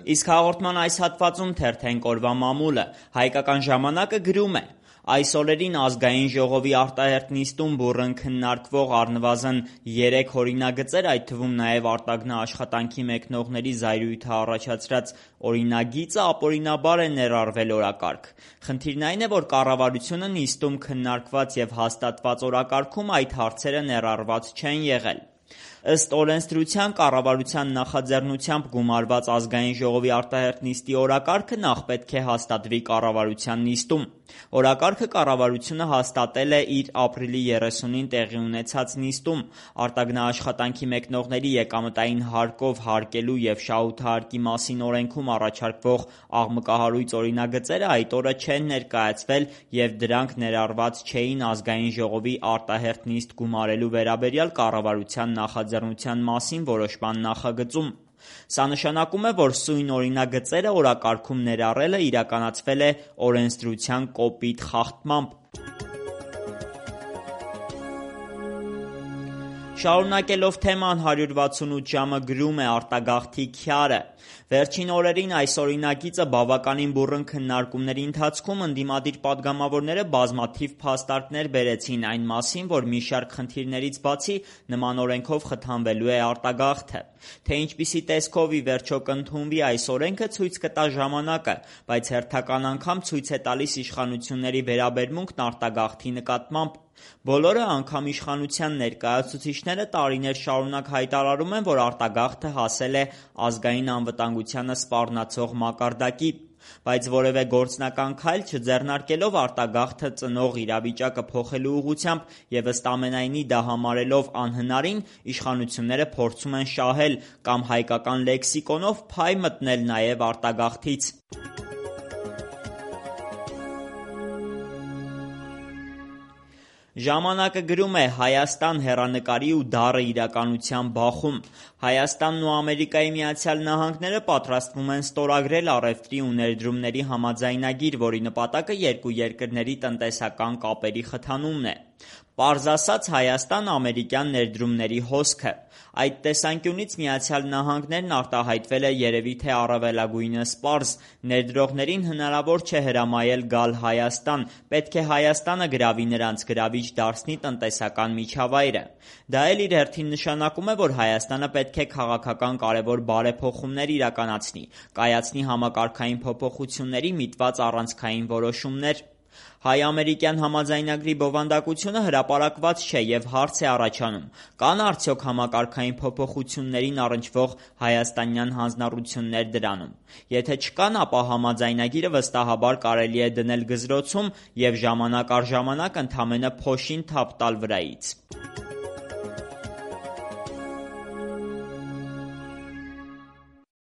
Իսկ հաղորդման այս հատվածում թերթենք օրվա մամուլը։ Հայկական ժամանակը գրում է. այս օրերին Ազգային ժողովի արտահերթ նիստում բուռն քննարկվող առնվազն 3 օրինագծեր, այդ թվում նաև արտագնա աշխատանքի մեկնողների զայրույթը առաջացրած օրինագիծը ապօրինաբար է ներառվել օրակարգ։ Խնդիրն այն է, որ կառավարությունը նիստում քննարկված և հաստատված օրակարգում այդ հարցերը ներառված չեն եղել։ Ըստ օրենսդրության կառավարության նախաձեռնությամբ գումարված Ազգային ժողովի արտահերթ նիստի օրակարգը նախ պետք է հաստատվի կառավարության նիստում։ Օրակարգը կառավարությունը հաստատել է իր ապրիլի 30-ին տեղի ունեցած նիստում։ Արտագնաաշխատանքի մեկնողների եկամտային հարկով հարկելու և շահութահարկի մասին օրենքում առաջարկվող աղմկահարույց օրինագծերը այդ օրը չեն ներկայացվել և դրանք ներառված չէին Ազգային ժողովի արտահերթ նիստ գումարելու վերաբերյալ կառավարության նախաձեռնության մասին որոշման նախագծում։ Սա նշանակում է, որ սույն օրինագծերը օրակարգում ներառելը իրականացվել է օրենսդրության կոպիտ խախտմամբ։ Շարունակելով թեման 168 ժամը գրում է արտագաղթի քյարը. Վերջին օրերին այս օրինագիծը բավականին բուռն քննարկումների ընթացքում ընդդիմադիր պատգամավորները բազմաթիվ փաստարկներ բերեցին այն մասին, որ մի շարք խնդիրներից բացի նման օրենքով խթանվելու է արտագաղթը։ Թե ինչպիսի տեսքով ի վերջո կընդունվի այս օրենքը ցույց կտա ժամանակը, բայց հերթական անգամ ցույց է տալիս իշխանությունների վերաբերմունքն արտագաղթի նկատմամբ։ Բոլորը, անգամ իշխանության ներկայացուցիչները տարիներ շարունակ հայտարարում են, որ արտագաղթը հասել է ազգային անվտանգությանը սպառնացող մակարդակի, բայց որևէ գործնական քայլ չձեռնարկելով արտագաղթը ծնող իրավիճակը փոխելու ուղղությամբ և ըստ ամենայնի դա համարելով անհնարին, իշխանությունները փորձում են շահել կամ հայկական լեքսիկոնով փայ մտնել նաև արտագաղթից։ Ժամանակը գրում է. Հայաստան հեռանկարի ու դառը իրականության բախում։ Հայաստանն ու Ամերիկայի Միացյալ Նահանգները պատրաստվում են ստորագրել առևտրի ու ներդրումների համաձայնագիր, որի նպատակը երկու երկրների տնտեսական կապերի խթանումն է։ Պարզ ասած, Հայաստան ամերիկյան ներդրումների հոսքը։ Այդ տեսանկյունից Միացյալ Նահանգներն արտահայտվել է երևի թե առավելագույնս պարզ. ներդրողներին հնարավոր չէ հրամայել գալ Հայաստան, պետք է Հայաստանը գրավի նրանց, գրավիչ դարձնի տնտեսական միջավայրը։ Դա էլ իր հերթին նշանակում է, որ Հայաստանը պետք է քաղաքական կարևոր բարեփոխումներ իրականացնի, կայացնի համակարգային փոփոխությունների միտված առանցքային որոշումներ։ Հայ-ամերիկյան համաձայնագրի բովանդակությունը հրապարակված չէ և հարց է առաջանում. կան արդյոք համակարգային փոփոխություններին առնչվող հայաստանյան հանձնառություններ դրանում։ Եթե չկան, ապա համաձայնագիրը վստահաբար կարելի է դնել գզրոցում և ժամանակ առ ժամանակ ընդամենը փոշին թափ տալ վրայից։